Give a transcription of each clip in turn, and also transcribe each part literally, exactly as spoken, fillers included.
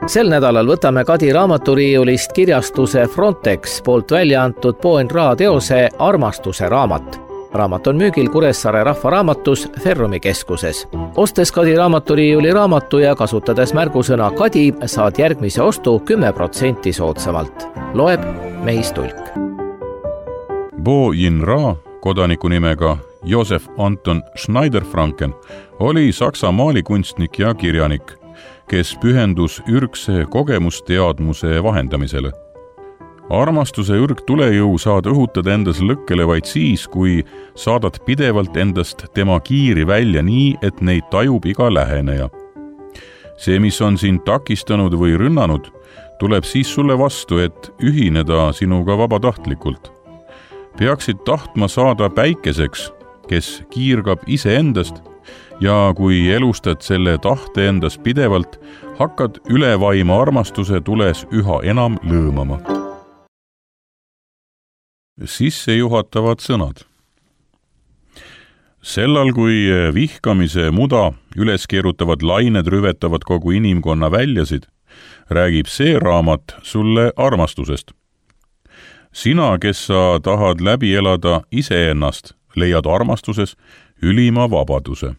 Sel nädalal võtame Kadi raamaturiiulist kirjastuse Frontex poolt välja antud Poen Ra teose Armastuse raamat. Raamat on müügil Kuressaare rahvaraamatus Ferrumi keskuses. Ostes Kadi raamaturiiuli raamatu ja kasutades märgusõna Kadi saad järgmise ostu kümme protsenti soodsamalt. Loeb Mehis Tulk. Poen Ra, kodaniku nimega Josef Anton Schneider-Franken, oli Saksa maalikunstnik ja kirjanik, kes pühendus ürgse kogemusteadmuse vahendamisele. Armastuse ürg tulejõu saad õhutada endas lõkkele vaid siis, kui saadad pidevalt endast tema kiiri välja nii, et neid tajub iga läheneja. See, mis on sind takistanud või rünnanud, tuleb siis sulle vastu, et ühineda sinuga vabatahtlikult. Peaksid tahtma saada päikeseks, kes kiirgab ise endast, ja kui elustad selle tahte endas pidevalt, hakkad ülevaima armastuse tules üha enam lõõmama. Sissejuhatavad sõnad. Sellal, kui vihkamise muda üles keerutavad lained rüvetavad kogu inimkonna väljasid, räägib see raamat sulle armastusest. Sina, kes sa tahad läbi elada iseennast, leiad armastuses ülima vabaduse.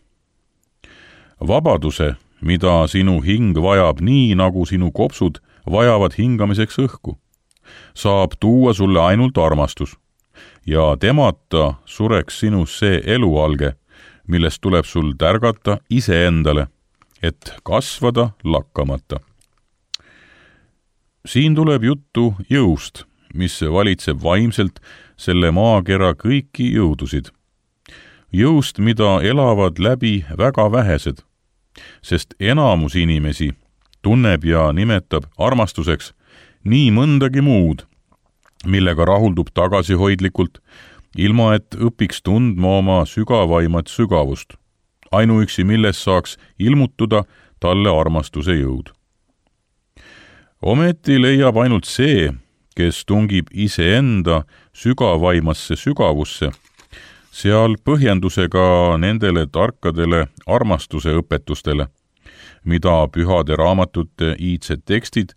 Vabaduse, mida sinu hing vajab nii, nagu sinu kopsud vajavad hingamiseks õhku, saab tuua sulle ainult armastus ja temata sureks sinus see elualge, millest tuleb sul tärgata iseendale, et kasvada lakkamata. Siin tuleb juttu jõust, mis valitseb vaimselt selle maakera kõiki jõudusid. Jõust, mida elavad läbi väga vähesed, sest enamus inimesi tunneb ja nimetab armastuseks nii mõndagi muud, millega rahuldub tagasihoidlikult, ilma et õpiks tundma oma sügavaimat sügavust, ainuüksi milles saaks ilmutuda talle armastuse jõud. Ometi leiab ainult see, kes tungib iseenda sügavaimasse sügavusse, seal põhjendusega nendele tarkadele armastuse õpetustele, mida pühade raamatute iidsed tekstid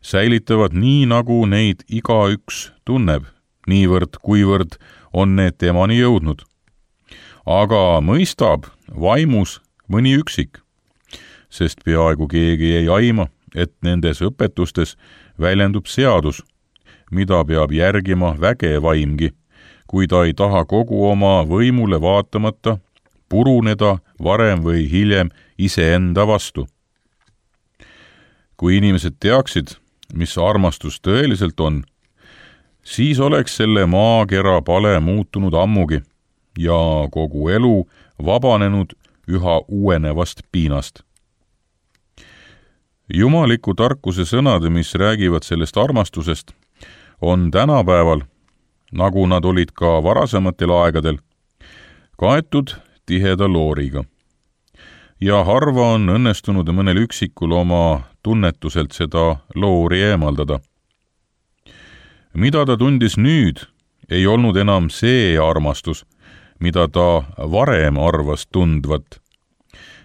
säilitavad nii, nagu neid igaüks tunneb, niivõrd kuivõrd on need temani jõudnud. Aga mõistab vaimus mõni üksik, sest peaaegu keegi ei aima, et nendes õpetustes väljendub seadus, mida peab järgima väge vaimgi, kui ta ei taha kogu oma võimule vaatamata puruneda varem või hiljem iseenda vastu. Kui inimesed teaksid, mis armastus tõeliselt on, siis oleks selle maakera pale muutunud ammugi ja kogu elu vabanenud üha uuenevast piinast. Jumaliku tarkuse sõnad, mis räägivad sellest armastusest, on tänapäeval, nagu nad olid ka varasematel aegadel, kaetud tiheda looriga. Ja harva on õnnestunud mõnel üksikul oma tunnetuselt seda loori eemaldada. Mida ta tundis nüüd, ei olnud enam see armastus, mida ta varem arvas tundvat.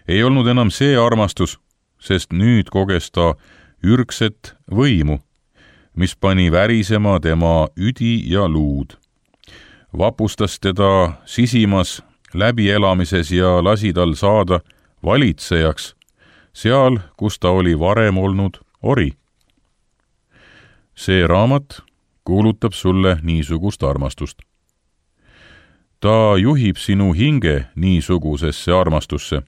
Ei olnud enam see armastus, sest nüüd koges ta ürgset võimu, mis pani värisema tema üdi ja luud. Vapustas teda sisimas läbielamises ja lasi tal saada valitsejaks, seal, kus ta oli varem olnud ori. See raamat kuulutab sulle niisugust armastust. Ta juhib sinu hinge niisugusesse armastusse.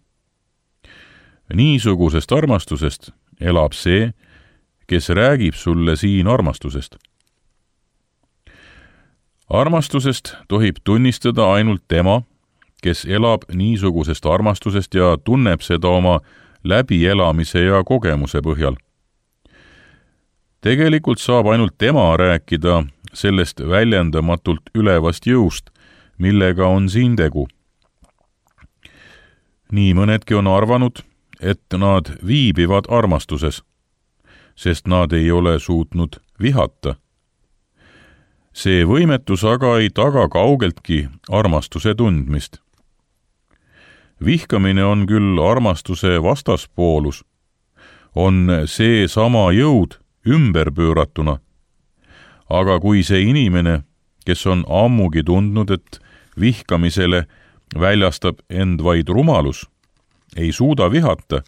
Niisugusest armastusest elab see, kes räägib sulle siin armastusest. Armastusest tohib tunnistada ainult tema, kes elab niisugusest armastusest ja tunneb seda oma läbielamise ja kogemuse põhjal. Tegelikult saab ainult tema rääkida sellest väljendamatult ülevast jõust, millega on siin tegu. Nii mõnedki on arvanud, et nad viibivad armastuses, sest nad ei ole suutnud vihata. See võimetus aga ei taga kaugeltki armastuse tundmist. Vihkamine on küll armastuse vastaspoolus, on see sama jõud ümberpööratuna. Aga kui see inimene, kes on ammugi tundnud, et vihkamisele väljastab end vaid rumalus, ei suuda vihata,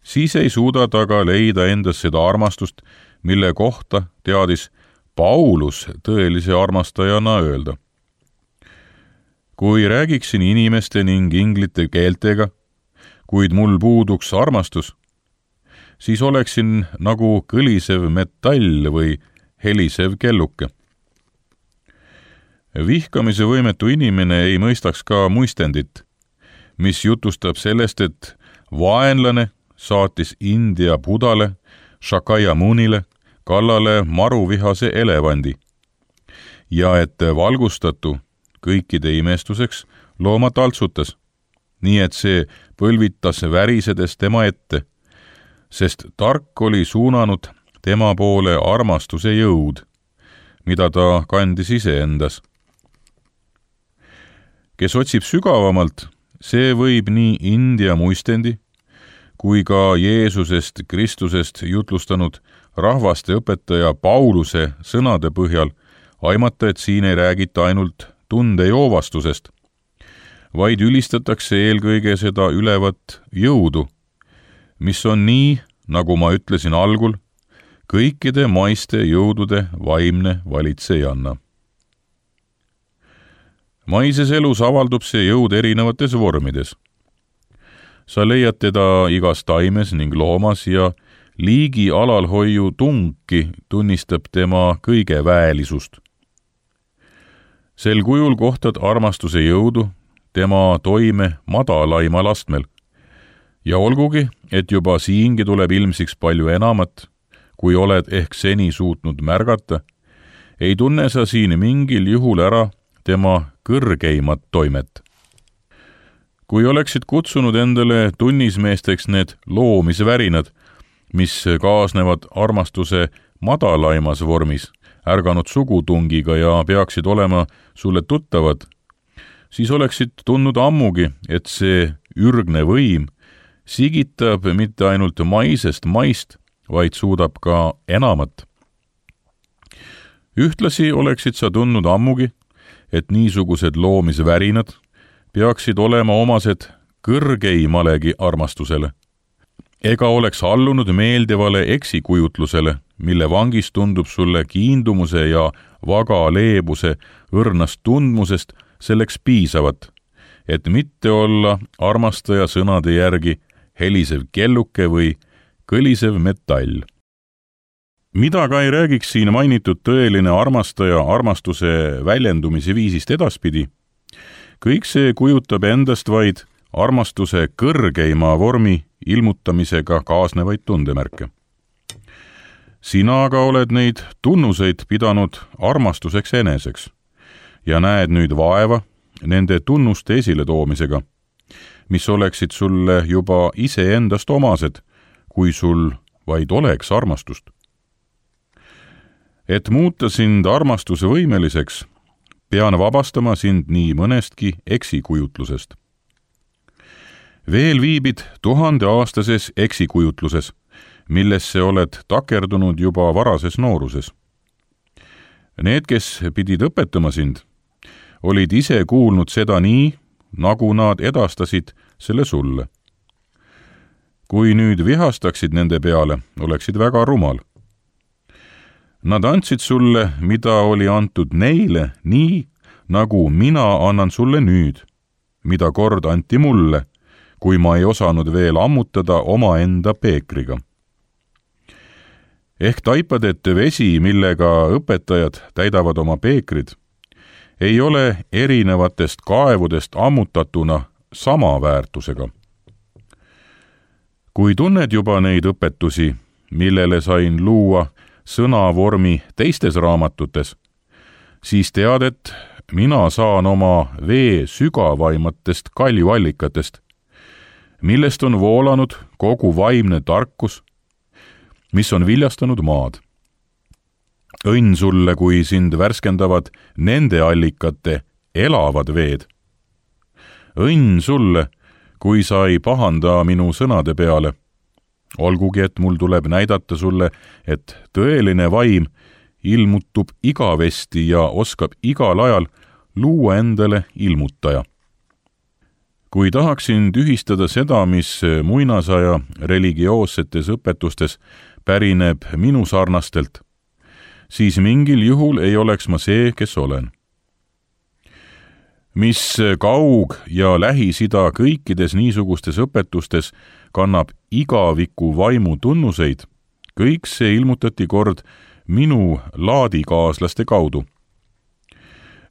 siis ei suuda ta ka leida endas seda armastust, mille kohta teadis Paulus tõelise armastajana öelda. Kui räägiksin inimeste ning inglite keeltega, kuid mul puuduks armastus, siis oleksin nagu kõlisev metall või helisev kelluke. Vihkamise võimetu inimene ei mõistaks ka muistendit, mis jutustab sellest, et vaenlane saatis India Budale, Shakyamunile kallale maruvihase elevandi ja et valgustatu kõikide imestuseks looma taltsutas, nii et see põlvitas värisedes tema ette, sest tark oli suunanud tema poole armastuse jõud, mida ta kandis iseendas. Kes otsib sügavamalt, see võib nii India muistendi kui ka Jeesusest Kristusest jutlustanud rahvaste õpetaja Pauluse sõnade põhjal aimata, et siin ei räägita ainult tundejoovastusest, vaid ülistatakse eelkõige seda ülevat jõudu, mis on nii, nagu ma ütlesin algul, kõikide maiste jõudude vaimne valitsejanna. Maises elus avaldub see jõud erinevates vormides. Sa leiad teda igas taimes ning loomas ja liigi alalhoiu tunki tunnistab tema kõige väelisust. Sel kujul kohtad armastuse jõudu tema toime madalaimal astmel. Ja olgugi, et juba siingi tuleb ilmsiks palju enamat, kui oled ehk seni suutnud märgata, ei tunne sa siin mingil juhul ära tema kõrgeimat toimet. Kui oleksid kutsunud endale tunnismeesteks need loomisvärinad, mis kaasnevad armastuse madalaimas vormis, ärganud sugutungiga ja peaksid olema sulle tuttavad, siis oleksid tundnud ammugi, et see ürgne võim sigitab mitte ainult maisest maist, vaid suudab ka enamat. Ühtlasi oleksid sa tundnud ammugi, et niisugused loomisvärinad peaksid olema omased kõrgeimalegi armastusele, ega oleks allunud meeldivale eksikujutlusele, mille vangis tundub sulle kiindumuse ja vaga leebuse õrnast tundmusest selleks piisavat, et mitte olla armastaja sõnade järgi helisev kelluke või kõlisev metall. Mida ka ei räägiks siin mainitud tõeline armastaja armastuse väljendumise viisist edaspidi, kõik see kujutab endast vaid armastuse kõrgeima vormi ilmutamisega kaasnevaid tundemärke. Sina aga oled neid tunnuseid pidanud armastuseks eneseks ja näed nüüd vaeva nende tunnuste esile toomisega, mis oleksid sulle juba iseendast omased, kui sul vaid oleks armastust. Et muuta sind armastuse võimeliseks, pean vabastama sind nii mõnestki eksikujutlusest. Veel viibid tuhandeaastases eksikujutluses, millesse oled takerdunud juba varases nooruses. Need, kes pidid õpetama sind, olid ise kuulnud seda nii, nagu nad edastasid selle sulle. Kui nüüd vihastaksid nende peale, oleksid väga rumal. Nad andsid sulle, mida oli antud neile, nii, nagu mina annan sulle nüüd, mida kord anti mulle, kui ma ei osanud veel ammutada oma enda peekriga. Ehk taipad, et vesi, millega õpetajad täidavad oma peekrid, ei ole erinevatest kaevudest ammutatuna sama väärtusega. Kui tunned juba neid õpetusi, millele sain luua sõnavormi teistes raamatutes, siis tead, et mina saan oma vee sügavaimatest kaljuallikatest, millest on voolanud kogu vaimne tarkus, mis on viljastanud maad. Õnn sulle, kui sind värskendavad nende allikate elavad veed. Õnn sulle, kui sa ei pahanda minu sõnade peale, olgugi et mul tuleb näidata sulle, et tõeline vaim ilmutub igavesti ja oskab igal ajal luua endale ilmutaja. Kui tahaksin tühistada seda, mis muinasaja religioossetes õpetustes pärineb minu sarnastelt, siis mingil juhul ei oleks ma see, kes olen. Mis Kaug- ja Lähis-Ida kõikides niisugustes õpetustes kannab igaviku vaimu tunnuseid, kõik see ilmutati kord minu laadikaaslaste kaudu.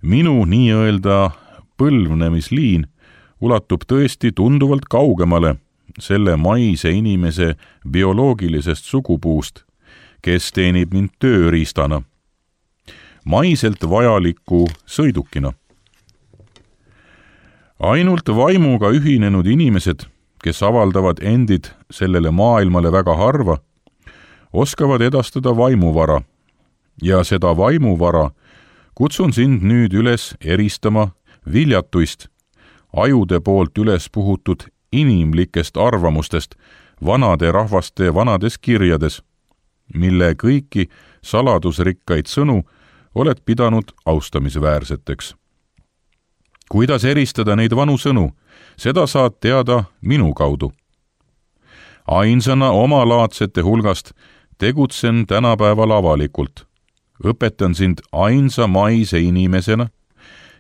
Minu nii-öelda põlvnemisliin ulatub tõesti tunduvalt kaugemale selle maise inimese bioloogilisest sugupuust, kes teenib mind tööriistana, maiselt vajaliku sõidukina. Ainult vaimuga ühinenud inimesed, kes avaldavad endid sellele maailmale väga harva, oskavad edastada vaimuvara ja seda vaimuvara kutsun sind nüüd üles eristama viljatuist, ajude poolt üles puhutud inimlikest arvamustest vanade rahvaste vanades kirjades, mille kõiki saladusrikkaid sõnu oled pidanud austamisväärseteks. Kuidas eristada neid vanu sõnu, seda saad teada minu kaudu. Ainsana omalaadsete hulgast tegutsen tänapäeval avalikult. Õpetan sind ainsa maise inimesena,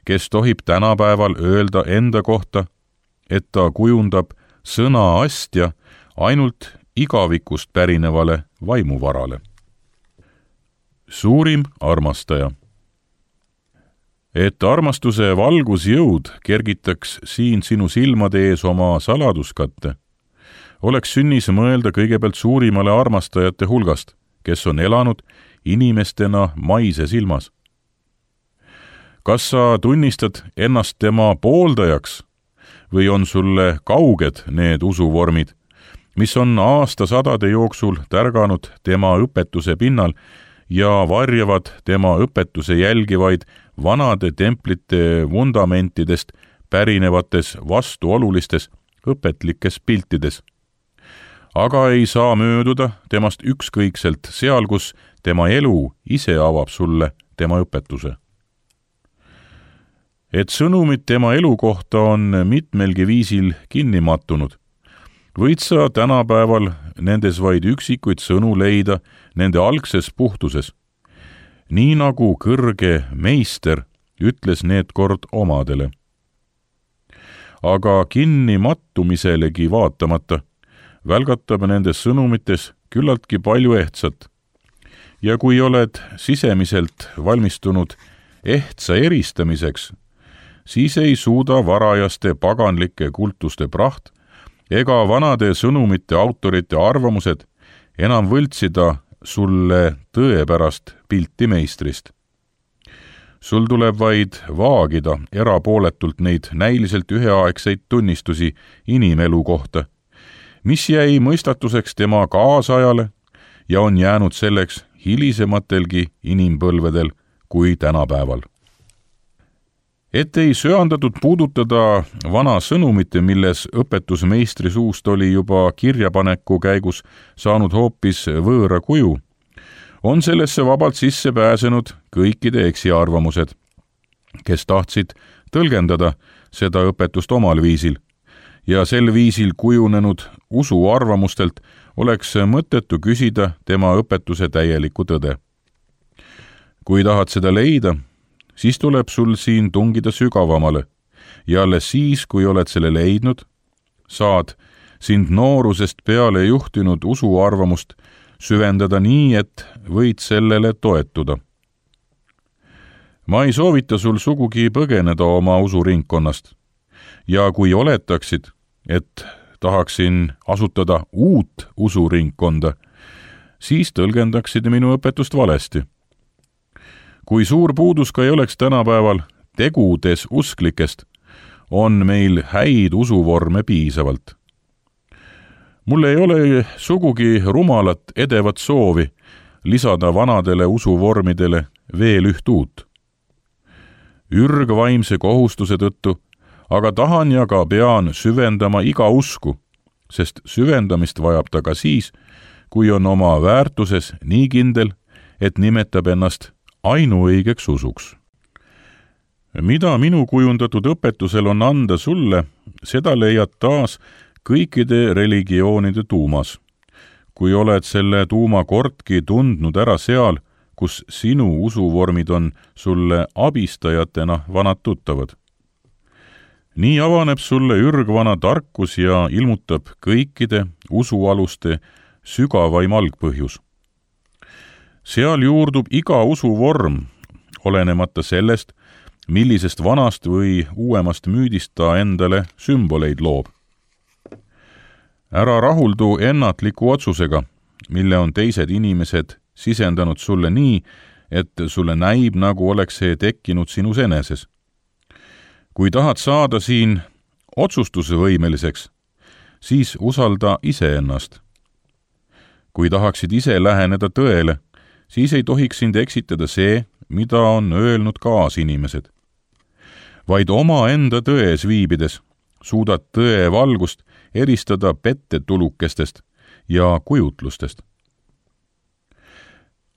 kes tohib tänapäeval öelda enda kohta, et ta kujundab sõna astja ainult igavikust pärinevale vaimuvarale. Suurim armastaja. Et armastuse valgusjõud kergitaks siin sinu silmade ees oma saladuskatte, oleks sünnis mõelda kõigepealt suurimale armastajate hulgast, kes on elanud inimestena maise silmas. Kas sa tunnistad ennast tema pooldajaks või on sulle kauged need usuvormid, mis on aastasadade jooksul tärganud tema õpetuse pinnal ja varjavad tema õpetuse jälgivaid vanade templite vundamentidest pärinevates vastuolulistes õpetlikes piltides. Aga ei saa mööduda temast ükskõikselt seal, kus tema elu ise avab sulle tema õpetuse. Et sõnumid tema elu kohta on mitmelgi viisil kinni mattunud, võid sa tänapäeval nendes vaid üksikuid sõnu leida nende algses puhtuses, nii nagu kõrge meister ütles need kord omadele. Aga kinni mattumiselegi vaatamata välgatab nendes sõnumites küllaltki palju ehtsat. Ja kui oled sisemiselt valmistunud ehtsa eristamiseks, siis ei suuda varajaste paganlike kultuste praht ega vanade sõnumite autorite arvamused enam võltsida sulle tõepärast pilti meistrist. Sul tuleb vaid vaagida erapooletult neid näiliselt üheaegseid tunnistusi inimelu kohta, mis jäi mõistatuseks tema kaasajale ja on jäänud selleks hilisematelgi inimpõlvedel kui tänapäeval. Et ei söandatud puudutada vana sõnumite, milles õpetusmeistri suust oli juba kirjapaneku käigus saanud hoopis võõra kuju, on sellesse vabalt sisse pääsenud kõikide eksiarvamused, kes tahtsid tõlgendada seda õpetust omal viisil, ja sel viisil kujunenud usuarvamustelt oleks mõttetu küsida tema õpetuse täielikku tõde. Kui tahad seda leida, siis tuleb sul siin tungida sügavamale ja alles siis, kui oled selle leidnud, saad sind noorusest peale juhtinud usuarvamust süvendada nii, et võid sellele toetuda. Ma ei soovita sul sugugi põgeneda oma usuringkonnast ja kui oletaksid, et tahaksin asutada uut usuringkonda, siis tõlgendaksid minu õpetust valesti. Kui suur puudus ka ei oleks tänapäeval tegudes usklikest, on meil häid usuvorme piisavalt. Mul ei ole sugugi rumalat edevat soovi lisada vanadele usuvormidele veel üht uut. Ürgvaimse kohustuse tõttu aga tahan ja ka pean süvendama iga usku, sest süvendamist vajab ta ka siis, kui on oma väärtuses nii kindel, et nimetab ennast ainuõigeks usuks. Mida minu kujundatud õpetusel on anda sulle, seda leiad taas kõikide religioonide tuumas. Kui oled selle tuuma kordki tundnud ära seal, kus sinu usuvormid on sulle abistajatena vanad tuttavad. Nii avaneb sulle ürgvana tarkus ja ilmutab kõikide usualuste sügavaim algpõhjus. Seal juurdub iga usuvorm, olenemata sellest, millisest vanast või uuemast müüdist ta endale sümboleid loob. Ära rahuldu ennatliku otsusega, mille on teised inimesed sisendanud sulle nii, et sulle näib, nagu oleks see tekkinud sinus eneses. Kui tahad saada siin otsustusvõimeliseks, siis usalda iseennast. Kui tahaksid ise läheneda tõele, siis ei tohiks sind eksitada see, mida on öelnud kaasinimesed. Vaid oma enda tões viibides suudad tõe valgust eristada pettetulukestest ja kujutlustest.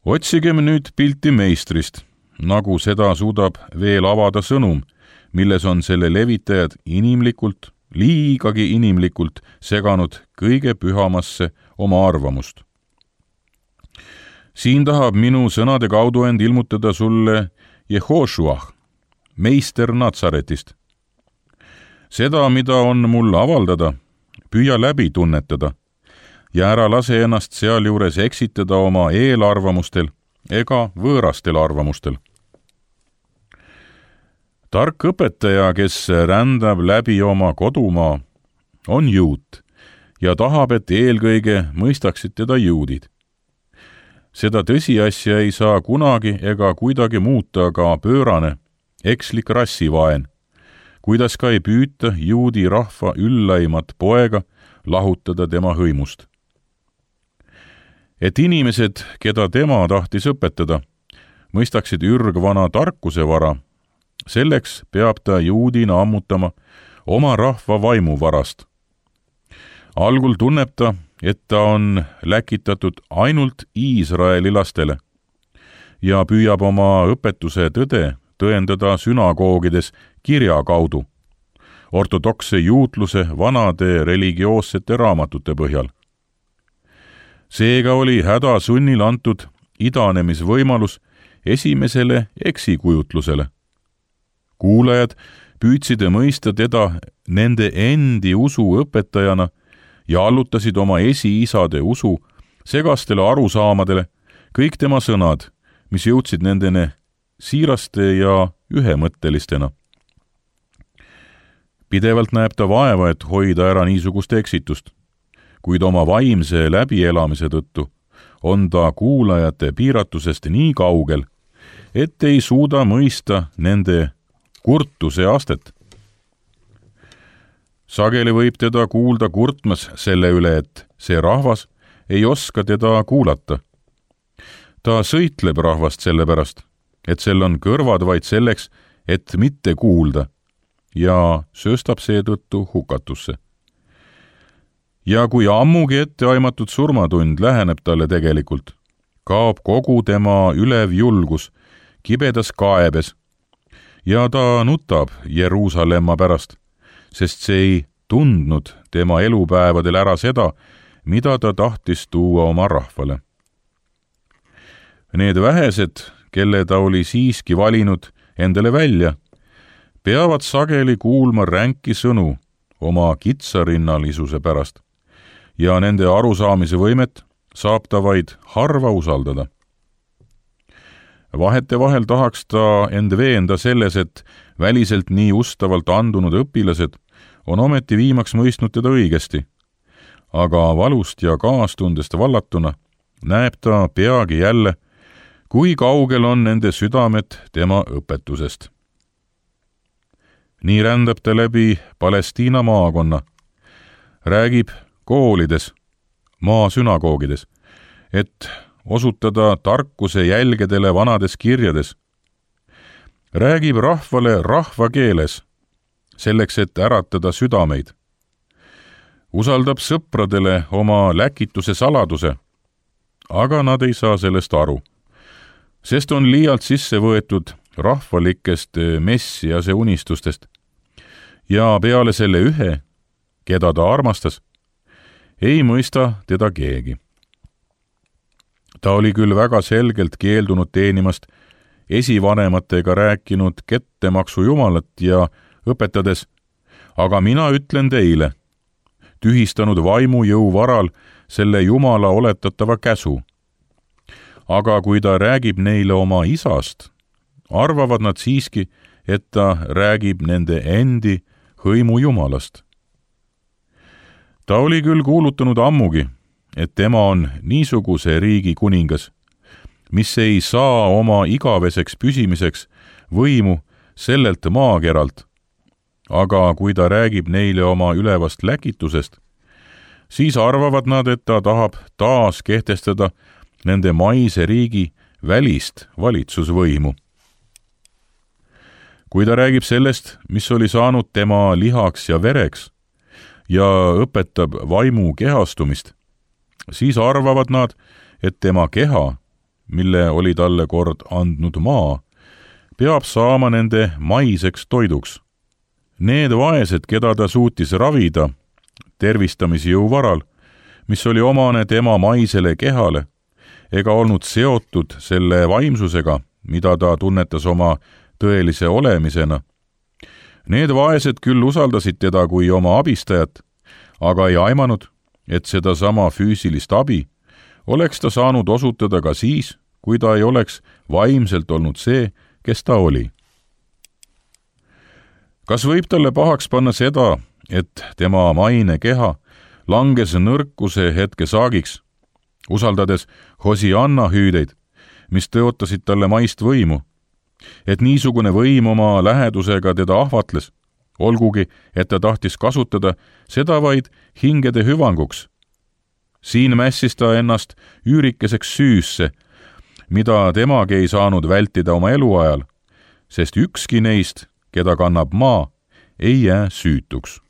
Otsigem nüüd pilti meistrist, nagu seda suudab veel avada sõnum, milles on selle levitajad inimlikult, liigagi inimlikult seganud kõige pühamasse oma arvamust. Siin tahab minu sõnade kaudu end ilmutada sulle Jehošuah, meister Natsaretist. Seda, mida on mul avaldada, püüa läbi tunnetada ja ära lase ennast sealjuures eksitada oma eelarvamustel ega võõrastel arvamustel. Tark õpetaja, kes rändab läbi oma kodumaa, on juut ja tahab, et eelkõige mõistaksid teda juudid. Seda tõsiasja ei saa kunagi ega kuidagi muuta ka pöörane, ekslik rassivaen, kuidas ka ei püüta juudi rahva üllaimat poega lahutada tema hõimust. Et inimesed, keda tema tahtis õpetada, mõistaksid ürgvana tarkuse vara, selleks peab ta juudina ammutama oma rahva vaimuvarast. Algul tunneb ta, et ta on läkitatud ainult Iisraeli lastele ja püüab oma õpetuse tõde tõendada sünagoogides kirja kaudu, ortodokse juutluse vanade religioossete raamatute põhjal. Seega oli hädasunnil antud idanemisvõimalus esimesele eksikujutlusele. Kuulajad püüdsid mõista teda nende endi usu õpetajana ja allutasid oma esiisade usu segastele arusaamadele kõik tema sõnad, mis jõudsid nendene siiraste ja ühemõttelistena. Pidevalt näeb ta vaeva, et hoida ära niisugust eksitust, kuid oma vaimse läbielamise tõttu on ta kuulajate piiratusest nii kaugel, et ei suuda mõista nende kurtuse astet. Sageli võib teda kuulda kurtmas selle üle, et see rahvas ei oska teda kuulata. Ta sõitleb rahvast sellepärast, et sel on kõrvad vaid selleks, et mitte kuulda, ja sööstab seetõttu hukatusse. Ja kui ammugi etteaimatud surmatund läheneb talle tegelikult, kaob kogu tema ülev julgus kibedas kaebes ja ta nutab Jeruusalemma pärast, sest see ei tundnud tema elupäevadel ära seda, mida ta tahtis tuua oma rahvale. Need vähesed, kelle ta oli siiski valinud endale välja, peavad sageli kuulma ränki sõnu oma kitsarinnalisuse pärast ja nende arusaamise võimet saab ta vaid harva usaldada. Vahetevahel tahaks ta end veenda selles, et väliselt nii ustavalt andunud õpilased on ometi viimaks mõistnud teda õigesti, aga valust ja kaastundest vallatuna näeb ta peagi jälle, kui kaugel on nende südamed tema õpetusest. Nii rändab ta läbi Palestiina maakonna, räägib koolides, maasünagoogides, et osutada tarkuse jälgedele vanades kirjades. Räägib rahvale rahvakeeles, selleks et äratada südameid. usaldab sõpradele oma läkituse saladuse, aga nad ei saa sellest aru, sest on liialt sisse võetud rahvalikest messiase unistustest ja peale selle ühe, keda ta armastas, ei mõista teda keegi. Ta oli küll väga selgelt keeldunud teenimast esivanematega rääkinud kettemaksu jumalat ja õpetades, aga mina ütlen teile, tühistanud vaimu jõu varal selle jumala oletatava käsu. Aga kui ta räägib neile oma isast, arvavad nad siiski, et ta räägib nende endi hõimu jumalast. Ta oli küll kuulutanud ammugi, et tema on niisuguse riigi kuningas, mis ei saa oma igaveseks püsimiseks võimu sellelt maakeralt, aga kui ta räägib neile oma ülevast läkitusest, siis arvavad nad, et ta tahab taas kehtestada nende maise riigi välist valitsusvõimu. Kui ta räägib sellest, mis oli saanud tema lihaks ja vereks ja õpetab vaimu kehastumist, siis arvavad nad, et tema keha, mille oli talle kord andnud maa, peab saama nende maiseks toiduks. Need vaesed, keda ta suutis ravida tervistamisjõu varal, mis oli omane tema maisele kehale, ega olnud seotud selle vaimsusega, mida ta tunnetas oma tõelise olemisena. Need vaesed küll usaldasid teda kui oma abistajat, aga ei aimanud, et seda sama füüsilist abi oleks ta saanud osutada ka siis, kui ta ei oleks vaimselt olnud see, kes ta oli. Kas võib talle pahaks panna seda, et tema maine keha langes nõrkuse hetke saagiks, usaldades Hosianna hüüdeid, mis tõotasid talle maist võimu, et niisugune võim oma lähedusega teda ahvatles, olgugi, et ta tahtis kasutada seda vaid hingede hüvanguks. Siin mässis ta ennast üürikeseks süüsse, mida temagi ei saanud vältida oma eluajal, sest ükski neist, keda kannab maa, ei jää süütuks.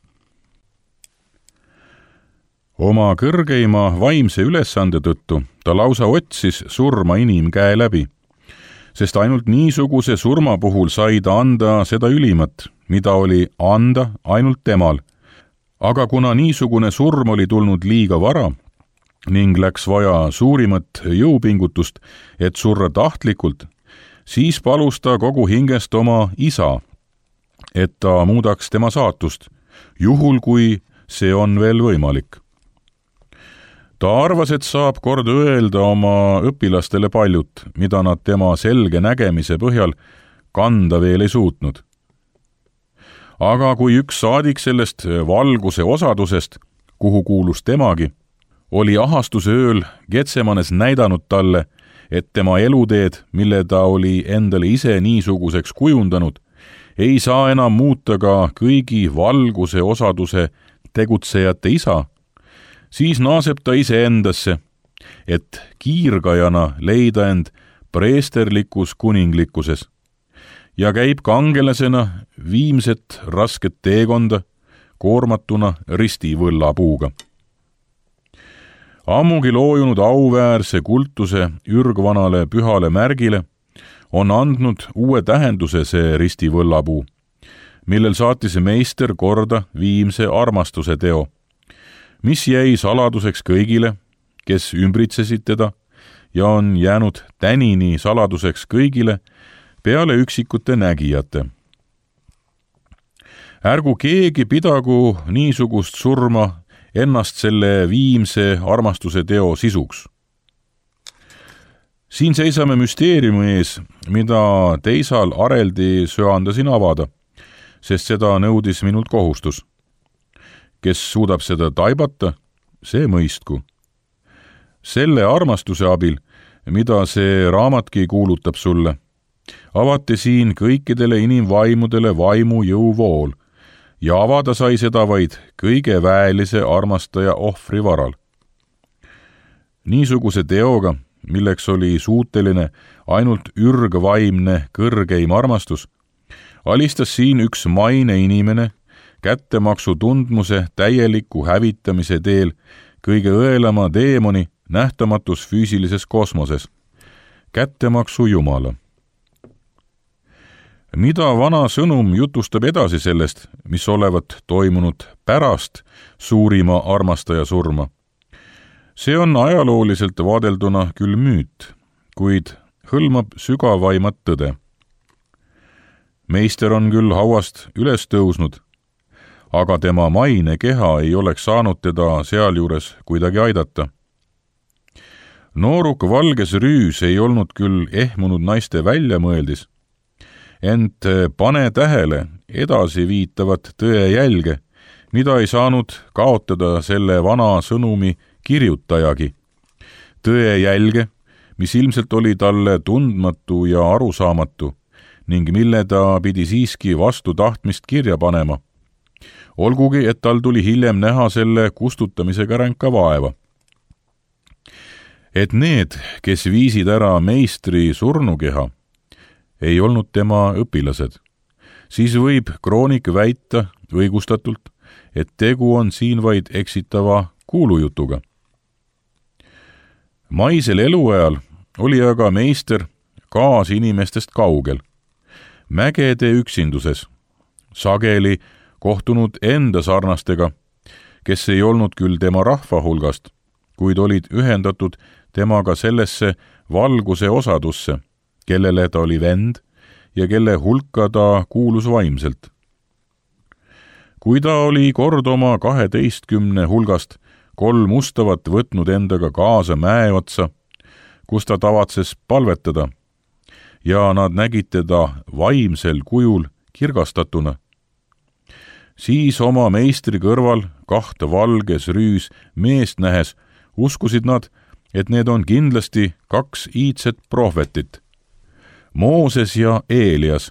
Oma kõrgeima vaimse ülesande tõttu ta lausa otsis surma inimkäe läbi, sest ainult niisuguse surma puhul sai ta anda seda ülimat, mida oli anda ainult temal. Aga kuna niisugune surm oli tulnud liiga vara ning läks vaja suurimat jõupingutust, et surra tahtlikult, siis palus ta kogu hingest oma isa, et ta muudaks tema saatust, juhul kui see on veel võimalik. Ta arvas, et saab kord öelda oma õpilastele paljut, mida nad tema selge nägemise põhjal kanda veel ei suutnud. Aga kui üks saadik sellest valguse osadusest, kuhu kuulus temagi, oli ahastuse ööl Getsemanes näidanud talle, et tema eluteed, mille ta oli endale ise niisuguseks kujundanud, ei saa enam muuta ka kõigi valguse osaduse tegutsejate isa, siis naaseb ta ise endasse, et kiirgajana leida end preesterlikus kuninglikkuses ja käib kangelasena viimset rasket teekonda koormatuna ristivõllapuuga. Ammugi loojunud auväärse kultuse ürgvanale pühale märgile on andnud uue tähenduse see ristivõllapuu, millel saatis meister korda viimse armastuse teo, mis jäi saladuseks kõigile, kes ümbritsesid teda ja on jäänud tänini saladuseks kõigile peale üksikute nägijate. Ärgu keegi pidagu niisugust surma ennast selle viimse armastuse teo sisuks. Siin seisame müsteeriumi ees, mida teisal areldi söandasin avada, sest seda nõudis minult kohustus. Kes suudab seda taibata, see mõistku. Selle armastuse abil, mida see raamatki kuulutab sulle, avati siin kõikidele inimvaimudele vaimu jõuvool ja avada sai seda vaid kõige väelise armastaja ohvri varal. Niisuguse teoga, milleks oli suuteline ainult ürgvaimne kõrgeim armastus, alistas siin üks maine inimene, kättemaksu tundmuse täieliku hävitamise teel kõige õelama teemoni nähtamatus füüsilises kosmoses, kättemaksu jumala. Mida vana sõnum jutustab edasi sellest, mis olevat toimunud pärast suurima armastaja surma? See on ajalooliselt vaadelduna küll müüt, kuid hõlmab sügavaimat tõde. Meister on küll hauast üles tõusnud, aga tema maine keha ei oleks saanud teda sealjuures kuidagi aidata. Nooruk valges rüüs ei olnud küll ehmunud naiste väljamõeldis, ent pane tähele edasi viitavat tõe jälge, mida ei saanud kaotada selle vana sõnumi kirjutajagi. Tõe jälge, mis ilmselt oli talle tundmatu ja arusaamatu ning mille ta pidi siiski vastu tahtmist kirja panema. Olgugi, et tal tuli hiljem näha selle kustutamisega ränka vaeva. Et need, kes viisid ära meistri surnukeha, ei olnud tema õpilased. Siis võib kroonik väita õigustatult, et tegu on siin vaid eksitava kuulujutuga. Maisel eluajal oli aga meister kaas inimestest kaugel, mägede üksinduses, sageli kohtunud enda sarnastega, kes ei olnud küll tema rahva hulgast, kuid olid ühendatud temaga sellesse valguse osadusse, kellele ta oli vend ja kelle hulka ta kuulus vaimselt. Kui ta oli kord oma kaheteistkümne hulgast kolm ustavat võtnud endaga kaasa mäe otsa, kus ta tavatses palvetada, ja nad nägid teda vaimsel kujul kirgastatuna, siis oma meistri kõrval kahte valges rüüs meest nähes uskusid nad, et need on kindlasti kaks iidset prohvetit, Mooses ja Eelias.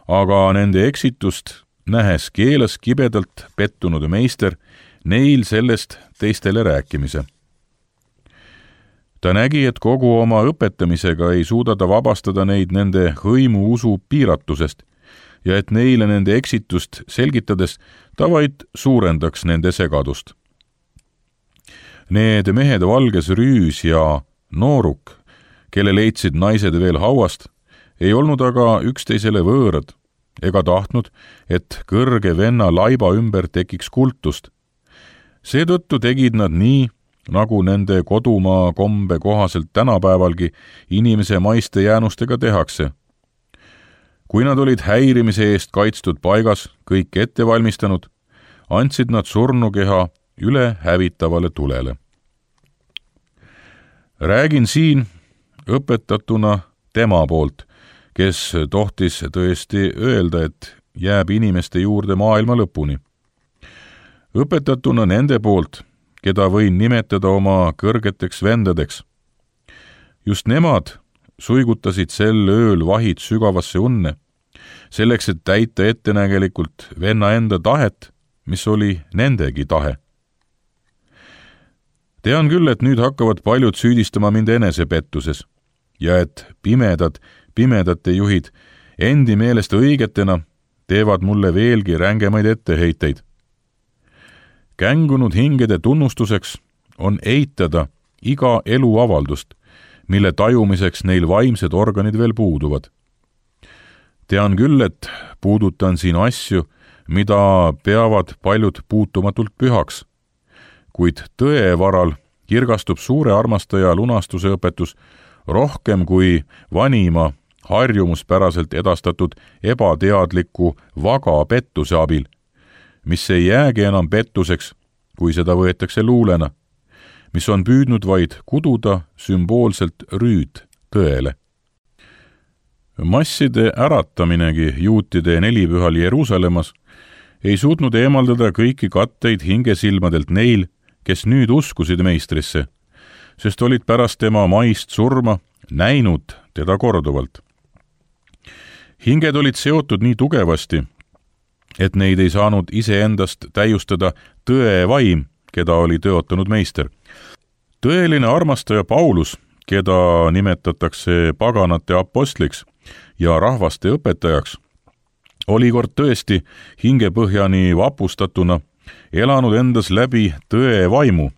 Aga nende eksitust nähes keelas kibedalt pettunud meister neil sellest teistele rääkimise. Ta nägi, et kogu oma õpetamisega ei suuda ta vabastada neid nende hõimu usu piiratusest ja et neile nende eksitust selgitades ta vaid suurendaks nende segadust. Need mehed valges rüüs ja nooruk, kelle leidsid naised veel hauast, ei olnud aga üksteisele võõrad ega tahtnud, et kõrge venna laiba ümber tekiks kultust. Seetõttu tegid nad nii, nagu nende kodumaa kombe kohaselt tänapäevalgi inimese maiste jäänustega tehakse. Kui nad olid häirimise eest kaitstud paigas, kõik ette valmistanud, andsid nad surnukeha üle hävitavale tulele. Räägin siin õpetatuna tema poolt, kes tohtis tõesti öelda, et jääb inimeste juurde maailma lõpuni. Õpetatuna nende poolt, keda võin nimetada oma kõrgeteks vendadeks. Just nemad suigutasid sel ööl vahid sügavasse unne, selleks, et täita ettenägelikult venna enda tahet, mis oli nendegi tahe. Tean küll, et nüüd hakkavad paljud süüdistama mind enesepettuses ja et pimedad, pimedate juhid endi meelest õigetena teevad mulle veelgi rängemaid etteheiteid. Kängunud hingede tunnustuseks on eitada iga eluavaldust, mille tajumiseks neil vaimsed organid veel puuduvad. Tean küll, et puudutan siin asju, mida peavad paljud puutumatult pühaks, kuid tõe varal kirgastub suure armastaja lunastuse õpetus rohkem kui vanima harjumuspäraselt edastatud ebateadliku vaga pettuse abil, mis ei jäägi enam pettuseks, kui seda võetakse luulena, mis on püüdnud vaid kududa sümboolselt rüüd tõele. Masside ärataminegi juutide nelipühal Jeruusalemmas ei suutnud eemaldada kõiki katteid hingesilmadelt neil, kes nüüd uskusid meistrisse, sest olid pärast tema maist surma näinud teda korduvalt. Hinged olid seotud nii tugevasti, et neid ei saanud iseendast täiustada tõe vaim, keda oli tõotanud meister. Tõeline armastaja Paulus, keda nimetatakse paganate apostliks ja rahvaste õpetajaks, oli kord tõesti hingepõhjani vapustatuna elanud endas läbi tõe vaimu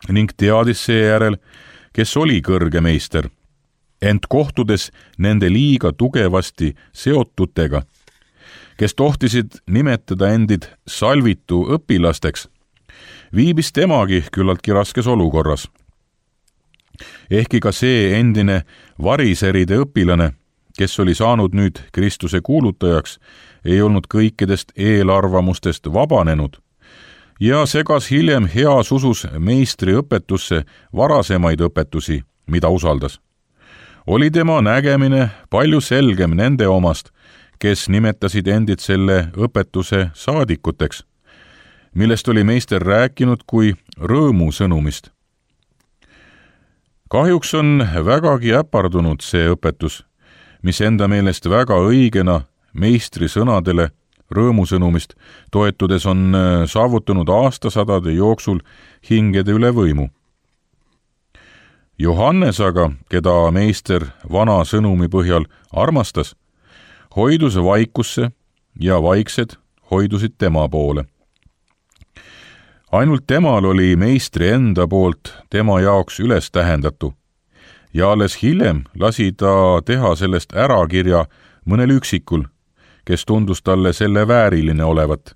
ning teadis seejärel, kes oli kõrge meister, ent kohtudes nende liiga tugevasti seotutega, kes tohtisid nimetada endid salvitu õpilasteks, viibis temagi küllaltki raskes olukorras. Ehkki ka see endine variseride õpilane, kes oli saanud nüüd Kristuse kuulutajaks, ei olnud kõikidest eelarvamustest vabanenud ja segas hiljem heas usus meistri õpetusse varasemaid õpetusi, mida usaldas. Oli tema nägemine palju selgem nende omast, kes nimetasid endid selle õpetuse saadikuteks, millest oli meister rääkinud kui rõõmu sõnumist. Kahjuks on vägagi äpardunud see õpetus, mis enda meelest väga õigena meistri sõnadele rõõmusõnumist toetudes on saavutanud aastasadade jooksul hingede üle võimu. Johannes aga, keda meister vana sõnumi põhjal armastas, hoidus vaikusse ja vaiksed hoidusid tema poole. Ainult temal oli meistri enda poolt tema jaoks üles tähendatu ja alles hiljem lasi ta teha sellest ärakirja mõnel üksikul, kes tundus talle selle vääriline olevat.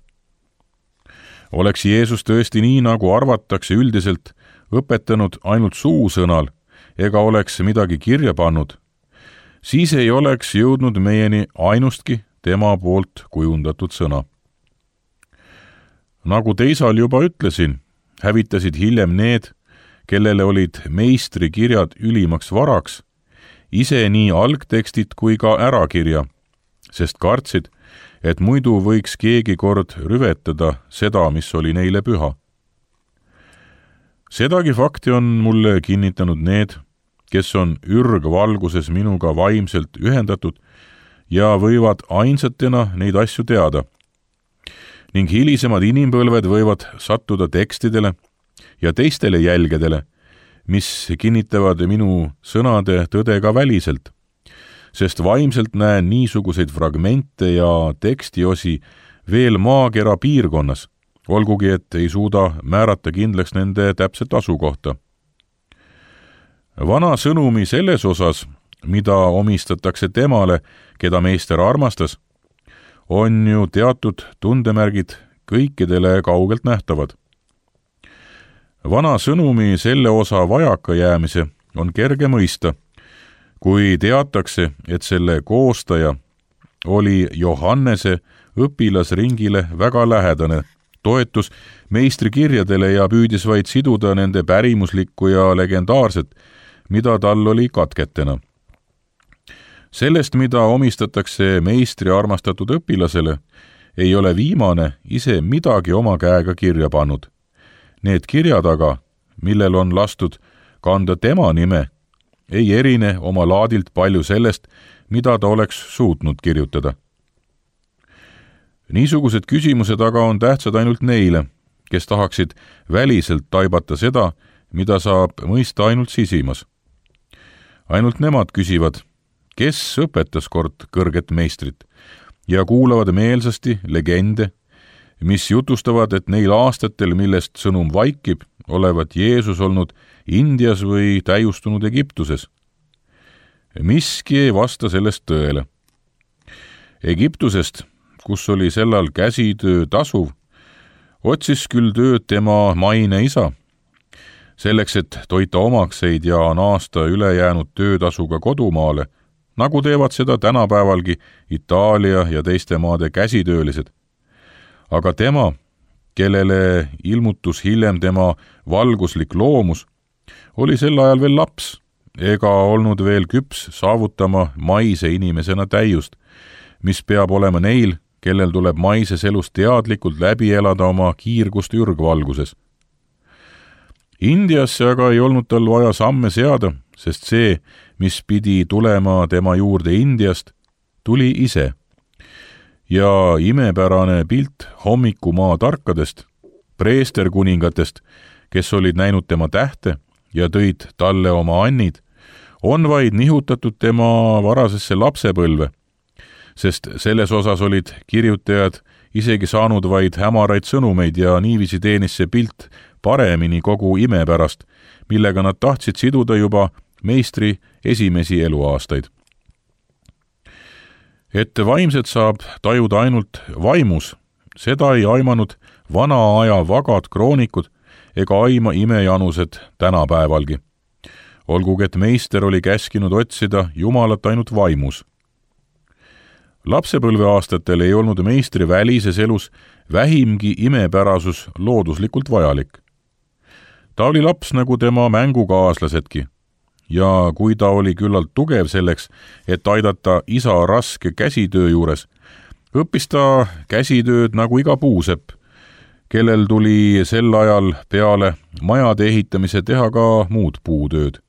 Oleks Jeesus tõesti nii, nagu arvatakse üldiselt, õpetanud ainult suusõnal ega oleks midagi kirja pannud, siis ei oleks jõudnud meieni ainustki tema poolt kujundatud sõna. Nagu teisal juba ütlesin, hävitasid hiljem need, kellele olid meistri kirjad ülimaks varaks, ise nii algtekstit kui ka ärakirja, sest kartsid, et muidu võiks keegi kord rüvetada seda, mis oli neile püha. Sedagi fakti on mulle kinnitanud need, kes on ürgvalguses minuga vaimselt ühendatud ja võivad ainsatena neid asju teada. Ning hilisemad inimpõlved võivad sattuda tekstidele ja teistele jälgedele, mis kinnitavad minu sõnade tõde ka väliselt, sest vaimselt näen niisuguseid fragmente ja tekstiosi veel maakera piirkonnas, olgugi et ei suuda määrata kindlaks nende täpset asukohta. Vana sõnumi selles osas, mida omistatakse temale, keda meister armastas, on ju teatud tundemärgid kõikidele kaugelt nähtavad. Vana sõnumi selle osa vajaka jäämise on kerge mõista, kui teatakse, et selle koostaja oli Johannese õpilasringile väga lähedane, toetus meistri kirjadele ja püüdis vaid siduda nende pärimuslikku ja legendaarset, mida tal oli katketena. Sellest, mida omistatakse meistri armastatud õpilasele, ei ole viimane ise midagi oma käega kirja pannud. Need kirjad aga, millel on lastud kanda tema nime, ei erine oma laadilt palju sellest, mida ta oleks suutnud kirjutada. Niisugused küsimused aga on tähtsad ainult neile, kes tahaksid väliselt taibata seda, mida saab mõista ainult sisimas. Ainult nemad küsivad, kes õpetas kord kõrget meistrit ja kuulavad meelsasti legende, mis jutustavad, et neil aastatel, millest sõnum vaikib, olevat Jeesus olnud Indias või täiustunud Egiptuses. Miski ei vasta sellest tõele. Egiptusest, kus oli sellal käsitöö tasuv, otsis küll tööd tema maine isa, selleks, et toita omakseid ja naasta ülejäänud töötasuga kodumaale, nagu teevad seda tänapäevalgi Itaalia ja teiste maade käsitöölised. Aga tema, kellele ilmutus hiljem tema valguslik loomus, oli sel ajal veel laps ega olnud veel küps saavutama maise inimesena täiust, mis peab olema neil, kellel tuleb maises elus teadlikult läbi elada oma kiirgust ürgvalguses. Indiasse aga ei olnud tal vaja samme seada, sest see, mis pidi tulema tema juurde Indiast, tuli ise. Ja imepärane pilt hommikumaa tarkadest, preesterkuningatest, kes olid näinud tema tähte ja tõid talle oma annid, on vaid nihutatud tema varasesse lapsepõlve, sest selles osas olid kirjutajad isegi saanud vaid hämaraid sõnumeid ja niiviisi teenis see pilt paremini kogu ime pärast, millega nad tahtsid siduda juba meistri esimesi eluaastaid. Et vaimset saab tajuda ainult vaimus, seda ei aimanud vana aja vagad kroonikud ega aima imejanused tänapäevalgi. Olgugi, et meister oli käskinud otsida Jumalat ainult vaimus. Lapsepõlveaastatel ei olnud meistri välises elus vähimgi imepärasus looduslikult vajalik. Ta oli laps nagu tema mängukaaslased,ki ja kui ta oli küllalt tugev selleks, et aidata isa raske käsitöö juures, õppis ta käsitööd nagu iga puusepp, kellel tuli sel ajal peale majade ehitamise teha ka muud puutööd.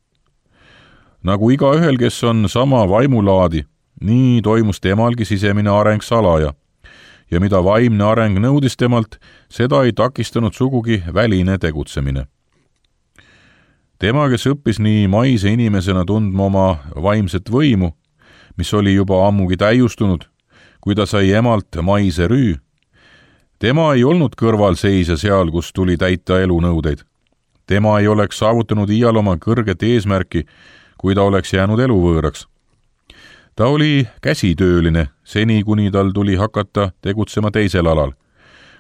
Nagu iga ühel, kes on sama vaimulaadi, nii toimus temalgi sisemine areng salaja ja mida vaimne areng nõudis temalt, seda ei takistanud sugugi väline tegutsemine. Tema, kes õppis nii maise inimesena tundma oma vaimset võimu, mis oli juba ammugi täiustunud, kui ta sai emalt maise rüü, tema ei olnud kõrvalseisja seal, kus tuli täita elunõudeid. Tema ei oleks saavutanud iial oma kõrget eesmärki, kui ta oleks jäänud eluvõõraks. Ta oli käsitööline, seni kuni tal tuli hakata tegutsema teisel alal,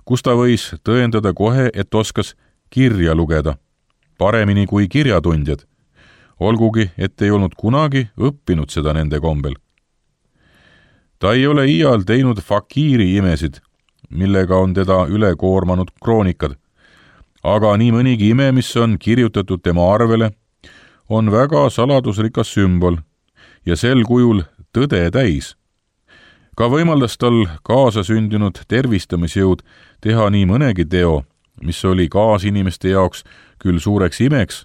kus ta võis tõendada kohe, et oskas kirja lugeda, paremini kui kirjatundjad, olgugi, et ei olnud kunagi õppinud seda nende kombel. Ta ei ole iial teinud fakiiri imesid, millega on teda üle koormanud kroonikad, aga nii mõnigi ime, mis on kirjutatud tema arvele, on väga saladusrikas sümbol ja sel kujul tõde täis. Ka võimaldas tal kaasasündinud tervistamisjõud teha nii mõnegi teo, mis oli kaasinimeste jaoks küll suureks imeks,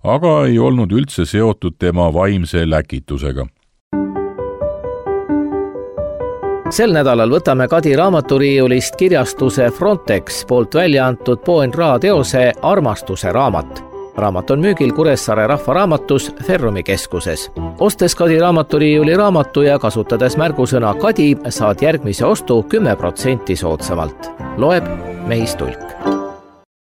aga ei olnud üldse seotud tema vaimse läkitusega. Sel nädalal võtame Kadi raamaturiiulist kirjastuse Frontex poolt välja antud Po N Ra teose Armastuse raamat. Raamat on müügil Kuressaare Rahvaraamatus Ferrumi keskuses. Ostes Kadi raamaturiiuli raamatu ja kasutades märgusõna Kadi, saad järgmise ostu kümme protsenti soodsamalt. Loeb Mehis Tulk.